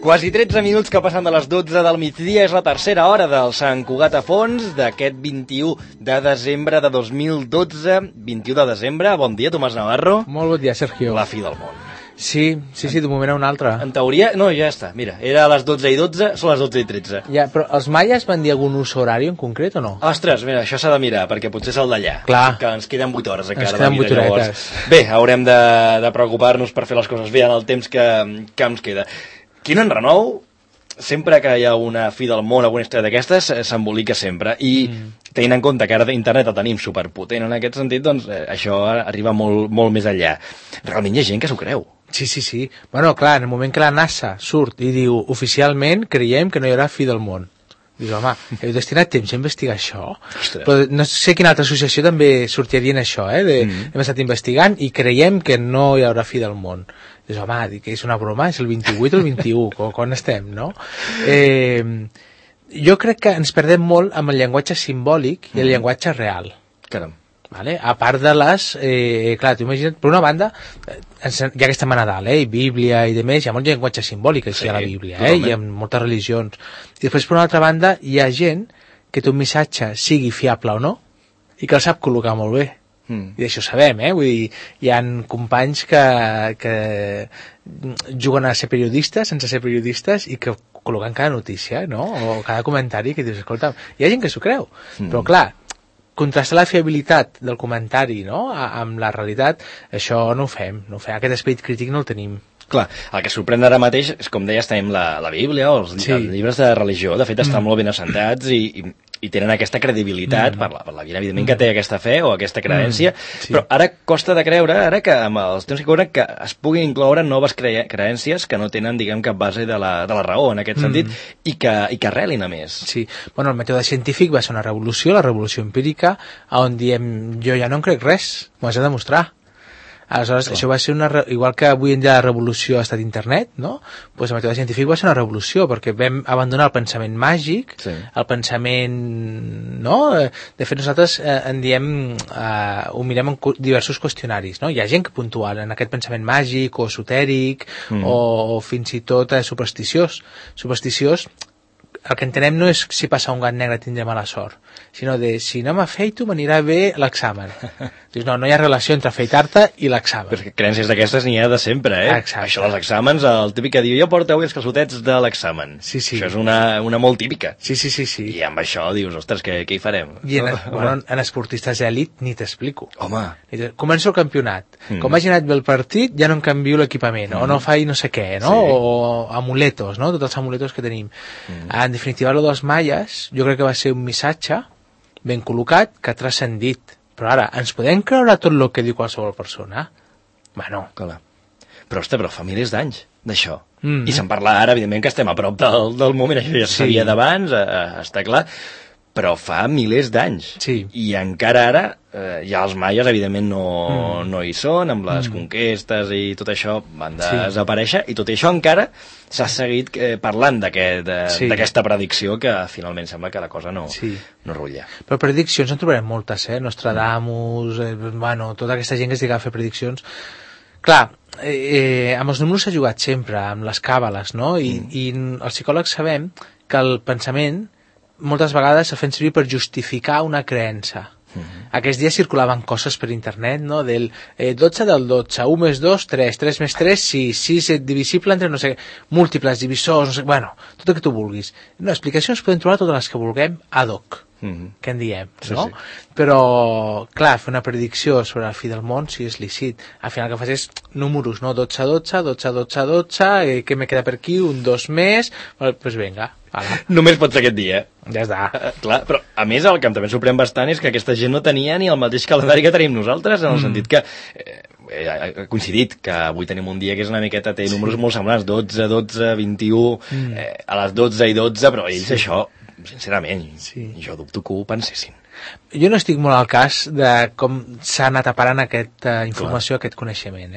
Quasi 13 minuts que passen de les 12 del migdia, és la tercera hora del Sant Cugat a Fons d'aquest 21 de desembre de 2012. 21 de desembre, bon dia, Tomàs Navarro. Molt bon dia, Sergio. La fi del món. Sí, d'un moment a un altre. En teoria, no, ja està, mira, era a les 12 i 12, són les 12 i 13. Ja, però els maies van dir algun ús horari en concret o no? Ostres, mira, això s'ha de mirar, perquè potser és el d'allà. Clar. Que ens queden 8 hores encara. Ens queden 8 horetes. Bé, haurem de preocupar-nos per fer les coses bé en el temps que ens queda. Quin enrenou, sempre que hi ha una fi del món, alguna història d'aquestes, s'embolica sempre. I tenint en compte que ara internet el tenim superpotent en aquest sentit, doncs això arriba molt, molt més enllà. Realment hi ha gent que s'ho creu. Sí. Bueno, clar, en el moment que la NASA surt i diu oficialment creiem que no hi haurà fi del món. Dius, home, heu destinat temps a investigar això? Ostres. Però no sé quina altra associació també sortiria en això, hem estat investigant i creiem que no hi haurà fi del món. Dius, home, que és una broma, és el 28 o el 21, quan estem, no? Jo crec que ens perdem molt amb el llenguatge simbòlic i el llenguatge real. Caram. Vale? A part de les... clar, t'ho imagina't, per una banda, ja que estem a Nadal, i Bíblia i demés, hi ha molt llenguatge simbòlic així a la Bíblia, i en moltes religions. I després, per una altra banda, hi ha gent que té un missatge, sigui fiable o no, i que el sap col·locar molt bé. I d'això sabem, vull dir, hi ha companys que juguen a ser periodistes sense ser periodistes i que col·loquen cada notícia, no? O cada comentari que dius, escolta, hi ha gent que s'ho creu, però clar, contrastar la fiabilitat del comentari, no?, amb la realitat, això no ho fem. Aquest esperit crític no el tenim. Clar, el que sorprèn ara mateix és, com deies, tenim la Bíblia o els llibres de religió, de fet estan molt ben assentats i tenen aquesta credibilitat per la vida, evidentment, que té aquesta fe o aquesta creència, però ara costa de creure, ara que amb els temps que corren, que es puguin incloure noves creències que no tenen, diguem, cap base de la raó, en aquest sentit, i que arrelin a més. Sí, bueno, el mètode científic va ser una revolució, la revolució empírica, on diem, jo ja no en crec res, m'ho has de demostrar. Aleshores, això va ser igual que avui en dia la revolució ha estat internet, no? Pues el mètode científic va ser una revolució, perquè vam abandonar el pensament màgic, el pensament, no? De fet, nosaltres en diem, ho mirem en diversos qüestionaris, no? Hi ha gent que puntua en aquest pensament màgic o esotèric o fins i tot supersticiós. Supersticiós, el que entenem no és si passa un gat negre tindré mala sort, sinó de si no m'afeito m'anirà bé l'examen. Dius, no hi ha relació entre afeitar-te i l'examen. Perquè creences d'aquestes n'hi ha de sempre, Exacte. Això dels exàmens, el típic que diu, jo porto avui els calçotets de l'examen. Sí. Això és una molt típica. Sí. I amb això dius, ostres, què hi farem? I en esportistes d'elit ni t'explico. Home. Començo el campionat. Com hagi anat bé el partit, ja no em canvio l'equipament, o no faig no sé què, no? O amuletos, no? Tots els amuletos que tenim. En definitiva, el dels maies, jo crec que va ser un missatge ben col·locat que ha transcendit. Però ara, ens podem creure tot el que diu qualsevol persona? Bueno. Clar. Però, ostres, fa milers d'anys d'això. I se'n parla ara, evidentment, que estem a prop del moment, això ja sabia d'abans, està clar, però fa milers d'anys. Sí. I encara ara, ja els maies, evidentment, no hi són, amb les conquestes i tot això van desaparèixer, i tot això encara s'ha seguit parlant d'aquesta predicció que finalment sembla que la cosa no rutlla. Però prediccions en trobarem moltes, Nostradamus, tota aquesta gent que es dedica a fer prediccions. Clar, amb els números s'ha jugat sempre, amb les càbales, no? I els psicòlegs sabem que el pensament moltes vegades el fem servir per justificar una creença. Aquests dies circulaven coses per internet, no? Del 12 del 12, 1 més 2, 3, 3 més 3, 6, 6 divisible entre no sé què, múltiples, divisors, no sé, tot el que tu vulguis. No, explicacions podem trobar totes les que vulguem ad hoc, que en diem, no? Però, clar, fer una predicció sobre la fi del món, si és lícit. Al final el que fas és números, no? 12, 12, 12, 12, 12, què me queda per aquí? Un 2 més, doncs vinga. Només pot ser aquest dia. Ja està. Clar, però a més el que també sorprèn bastant és que aquesta gent no tenia ni el mateix calendari que tenim nosaltres, en el sentit que ha coincidit que avui tenim un dia que és una miqueta, té números molt semblants, 12, 12, 21, a les 12 i 12, però ells això, sincerament, jo dubto que ho pensessin. Jo no estic molt al cas de com s'ha anat aparant aquesta informació, aquest coneixement,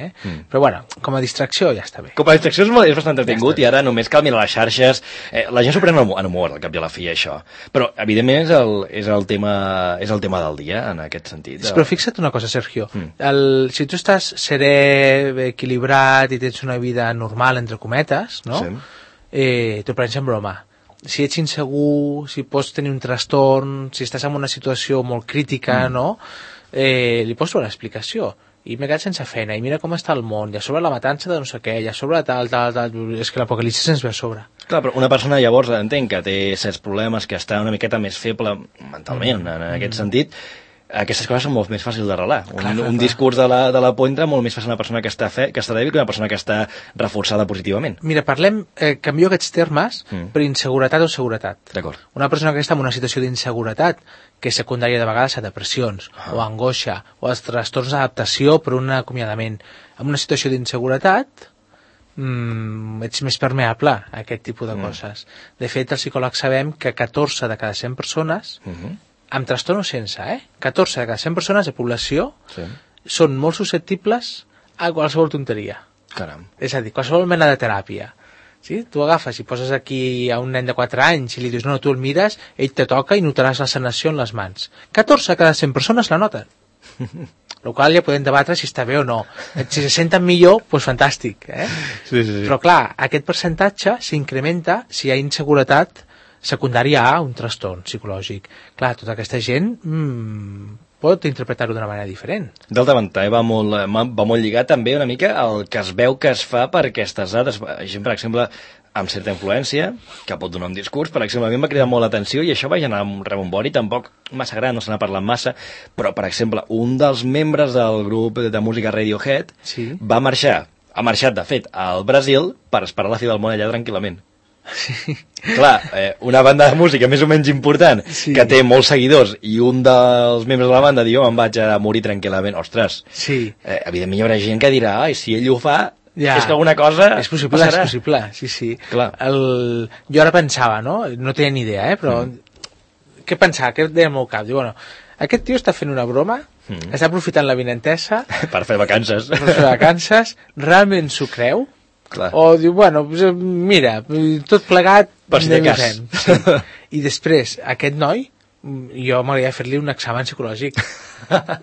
Però bueno, com a distracció ja està bé. Com a distracció és bastant entretingut i ara només cal mirar les xarxes. La gent s'ho pren en humor, al cap i a la fi, això. Però, evidentment, és el tema del dia, en aquest sentit. Però fixa't una cosa, Sergio. Si tu estàs serè, equilibrat i tens una vida normal, entre cometes, no? t'ho prens en broma. Si ets insegur, si pots tenir un trastorn, si estàs en una situació molt crítica, no? Li pots donar explicació. I m'he quedat sense feina, i mira com està el món, i a sobre la matança de no sé què, i a sobre tal, és que l'apocalipsi se'ns ve a sobre. Clar, però una persona llavors entenc que té certs problemes, que està una miqueta més feble mentalment, en aquest sentit, aquestes coses són molt més fàcils d'arrelar. Un discurs de la por entra molt més fàcil una persona que està dèbil que una persona que està reforçada positivament. Mira, canvio aquests termes per inseguretat o seguretat. D'acord. Una persona que està en una situació d'inseguretat, que és secundària de vegades a depressions, o angoixa, o els trastorns d'adaptació per un acomiadament. En una situació d'inseguretat, ets més permeable a aquest tipus de coses. De fet, els psicòlegs sabem que 14 de cada 100 persones amb trastorn o sense, 14 de cada 100 persones de població són molt susceptibles a qualsevol tonteria. Caram. És a dir, qualsevol mena de teràpia. Sí? Tu agafes i poses aquí a un nen de 4 anys i li dius, no, tu el mires, ell te toca i notaràs la sanació en les mans. 14 de cada 100 persones la noten. El qual ja podem debatre si està bé o no. Si se senten millor, doncs fantàstic. Sí. Però clar, aquest percentatge s'incrementa si hi ha inseguretat secundària a un trastorn psicològic. Clar, tota aquesta gent pot interpretar-ho d'una manera diferent. D'altra banda, va molt lligat també una mica al que es veu que es fa per aquestes dades. Gent, per exemple, amb certa influència, que pot donar un discurs, per exemple, a mi em va cridar molt l'atenció i això va generar un rebombori, tampoc massa gran, no se n'ha parlat massa, però, per exemple, un dels membres del grup de música Radiohead ha marxat, de fet, al Brasil per esperar la fi del món allà tranquil·lament. Sí. Clar, una banda de música més o menys important que té molts seguidors i un dels membres de la banda diu, em vaig a morir tranquil·lament. Ostres, evidentment hi haurà gent que dirà, ai, si ell ho fa, és que alguna cosa és possible, passarà. És possible, sí. Jo ara pensava, no tenia ni idea, però què pensava, què deia al meu cap? Diu, bueno, aquest tio està fent una broma, està aprofitant la vinentesa per fer vacances, realment s'ho creu? Clar. O diu, bueno, mira, tot plegat per si de cas. I després, aquest noi jo m'hauria de fer-li un examen psicològic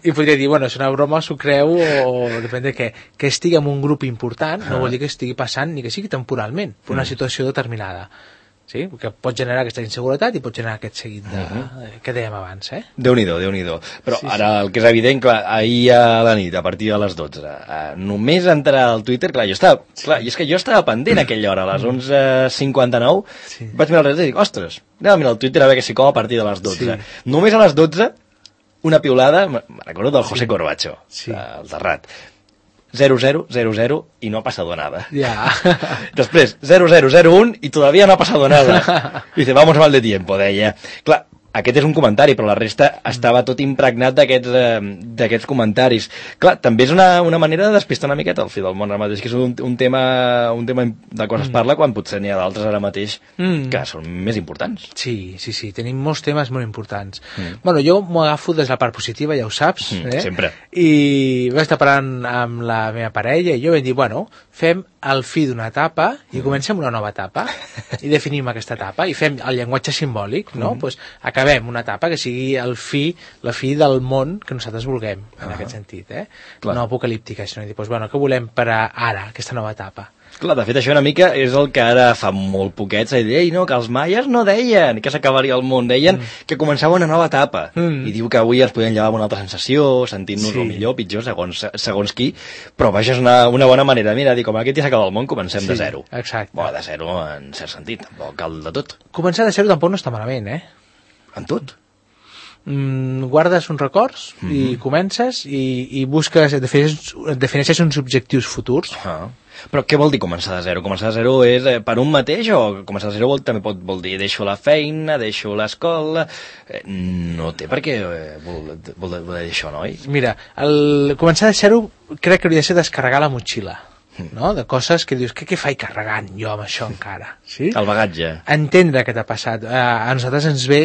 i podria dir, bueno, és una broma, s'ho creu o depèn de què, que estigui en un grup important no vol dir que estigui passant ni que sigui temporalment per una situació determinada. Sí? Que pot generar aquesta inseguretat i pot generar aquest seguit que dèiem abans. Déu-n'hi-do. Però ara el que és evident, clar, ahir a la nit, a partir de les 12, només entrar al Twitter, clar, i és que jo estava pendent a aquella hora, a les 11:59, vaig mirar el rellotge i dic, ostres, anem a mirar el Twitter a veure què s'hi cou a partir de les 12. Només a les 12, una piulada, me recordo del José Corbacho, el Terrat. 0000 y no ha pasado nada. Després 0001 y todavía no ha pasado nada. Dice, vamos mal de tiempo, deia. Clar, aquest és un comentari, però la resta estava tot impregnat d'aquests comentaris. Clar, també és una manera de despistar una miqueta el fi del món ara mateix, que és un tema de cosa es parla quan potser n'hi ha d'altres ara mateix que són més importants. Sí, tenim molts temes molt importants. Bueno, jo m'ho agafo des de la part positiva, ja ho saps. Sempre. I vaig estar parlant amb la meva parella i jo vam dir, bueno, fem el fi d'una etapa i comencem una nova etapa i definim aquesta etapa i fem el llenguatge simbòlic, no? Pues acabem una etapa que sigui la fi del món que nosaltres vulguem, en aquest sentit, no apocalíptica, sinó dir, pues, bueno, què volem per ara, aquesta nova etapa? Clar, de fet, això una mica és el que ara fa molt poquets, ei, no, que els maies no deien que s'acabaria el món, deien que començava una nova etapa, i diu que avui ens podem llevar amb una altra sensació, sentint-nos millor, pitjor, segons qui, però vaja, és una bona manera, mira, dir, com aquest dia s'acaba el món, comencem de zero. Exacte. Bueno, de zero en cert sentit, tampoc cal de tot. Començar de zero tampoc no està malament, En tot? Guardes uns records i comences i busques, defineixes uns objectius futurs. Però què vol dir començar de zero? Començar de zero és per un mateix o començar de zero també vol dir deixo la feina, deixo l'escola... No té per què vol dir això, no? Mira, començar de zero crec que hauria de ser descarregar la motxilla, no? De coses que dius, què faig carregant jo amb això encara? Sí? El bagatge. Entendre què t'ha passat. A nosaltres ens ve,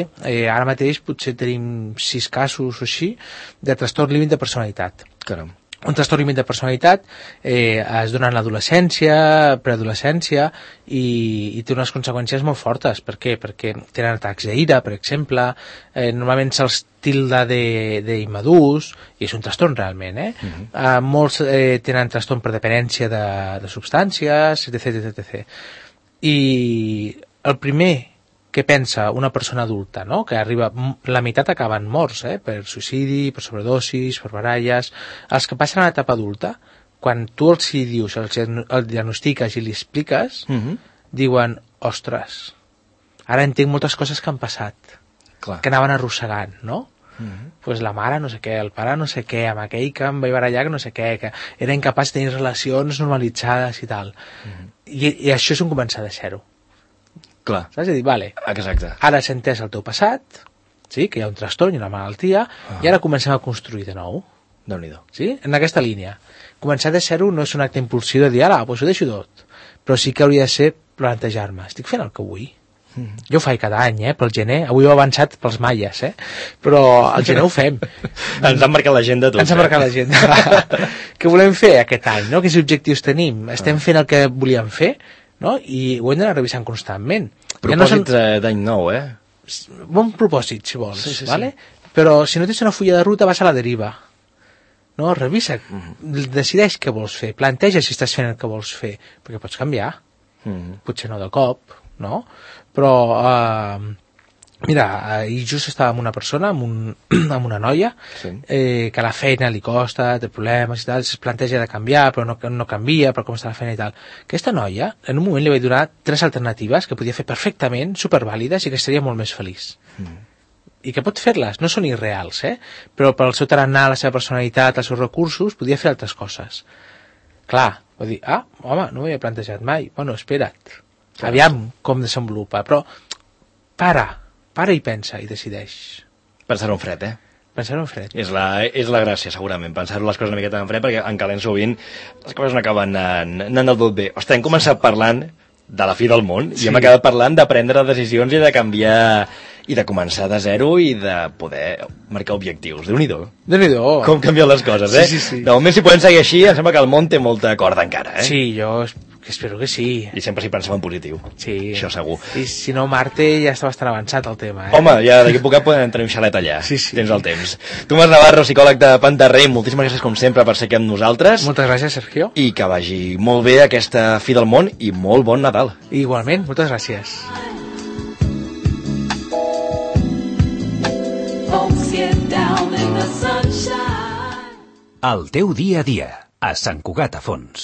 ara mateix potser tenim 6 casos o així, de trastorn límit de personalitat. Caram. Un trastorn límit de personalitat es dona en l'adolescència, preadolescència i té unes conseqüències molt fortes. Per què? Perquè tenen atacs d'ira, per exemple, normalment se'ls tilda d'immadurs i és un trastorn realment. Molts tenen trastorn per dependència de substàncies, etc. I el primer que pensa una persona adulta, no? Que arriba, la meitat acaben morts, per suïcidi, per sobredosis, per baralles. Els que passen a l'etapa adulta, quan tu els hi dius, el diagnostiques i li expliques, diuen, ostres, ara entenc moltes coses que han passat, que anaven arrossegant, no? Pues la mare no sé què, el pare no sé què, amb aquell que em vaig barallar que no sé què, que era incapaç de tenir relacions normalitzades i tal. I això és un començar de zero. Clar. Saps? És a dir, vale, exacte. Ara has entès el teu passat, sí, que hi ha un trastorn i una malaltia, i ara comencem a construir de nou. Déu-n'hi-do. Sí? En aquesta línia. Començar de zero no és un acte impulsiu de dir, ara, doncs ho deixo tot. Però sí que hauria de ser plantejar-me, estic fent el que vull? Jo ho faig cada any, pel gener. Avui ho he avançat pels maies, però al gener ho fem. Ens han marcat l'agenda tots. Ens han marcat l'agenda. Què volem fer aquest any, no? Quins objectius tenim? Estem fent el que volíem fer? No? I ho hem d'anar revisant constantment. Propòsits d'any nou, Bon propòsit, si vols, vale? Però si no tens una fulla de ruta vas a la deriva. No? Revisa, decideix què vols fer, planteja si estàs fent el que vols fer, perquè pots canviar, potser no de cop, no? Però mira, ahir just estava amb una persona, amb una noia, que a la feina li costa, té problemes i tal, es planteja de canviar, però no canvia, però com està la feina i tal. Aquesta noia, en un moment li vaig donar 3 alternatives que podia fer perfectament, supervàlides, i que estaria molt més feliç. I que pot fer-les, no són irreals, però pel seu tarannà, la seva personalitat, els seus recursos, podia fer altres coses. Clar, va dir, home, no m'ho havia plantejat mai. Bueno, espera't, aviam com desenvolupa, però para i pensa i decideix. Pensar-ho en fred, Pensar-ho en fred. És la gràcia, segurament, pensar-ho les coses una miqueta en fred, perquè en calent sovint les coses no acaben anant del tot bé. Ostres, hem començat parlant de la fi del món i hem acabat parlant de prendre decisions i de canviar i de començar de zero i de poder marcar objectius. Déu-n'hi-do. Déu-n'hi-do. Com canvien les coses, Sí. De moment, si podem seguir així, em sembla que el món té molta corda encara, Sí, jo espero que sí. I sempre si pensem en positiu. Sí. Això segur. I si no, Marte ja està bastant avançat el tema, Home, ja d'aquí a poc podem tenir un xalet allà. Sí. Tens el temps. Tomàs Navarro, psicòleg de Pantarrey, moltíssimes gràcies com sempre per ser aquí amb nosaltres. Moltes gràcies, Sergio. I que vagi molt bé aquesta fi del món i molt bon Nadal. Igualment, moltes gràcies. El teu dia a dia, a Sant Cugat a Fons.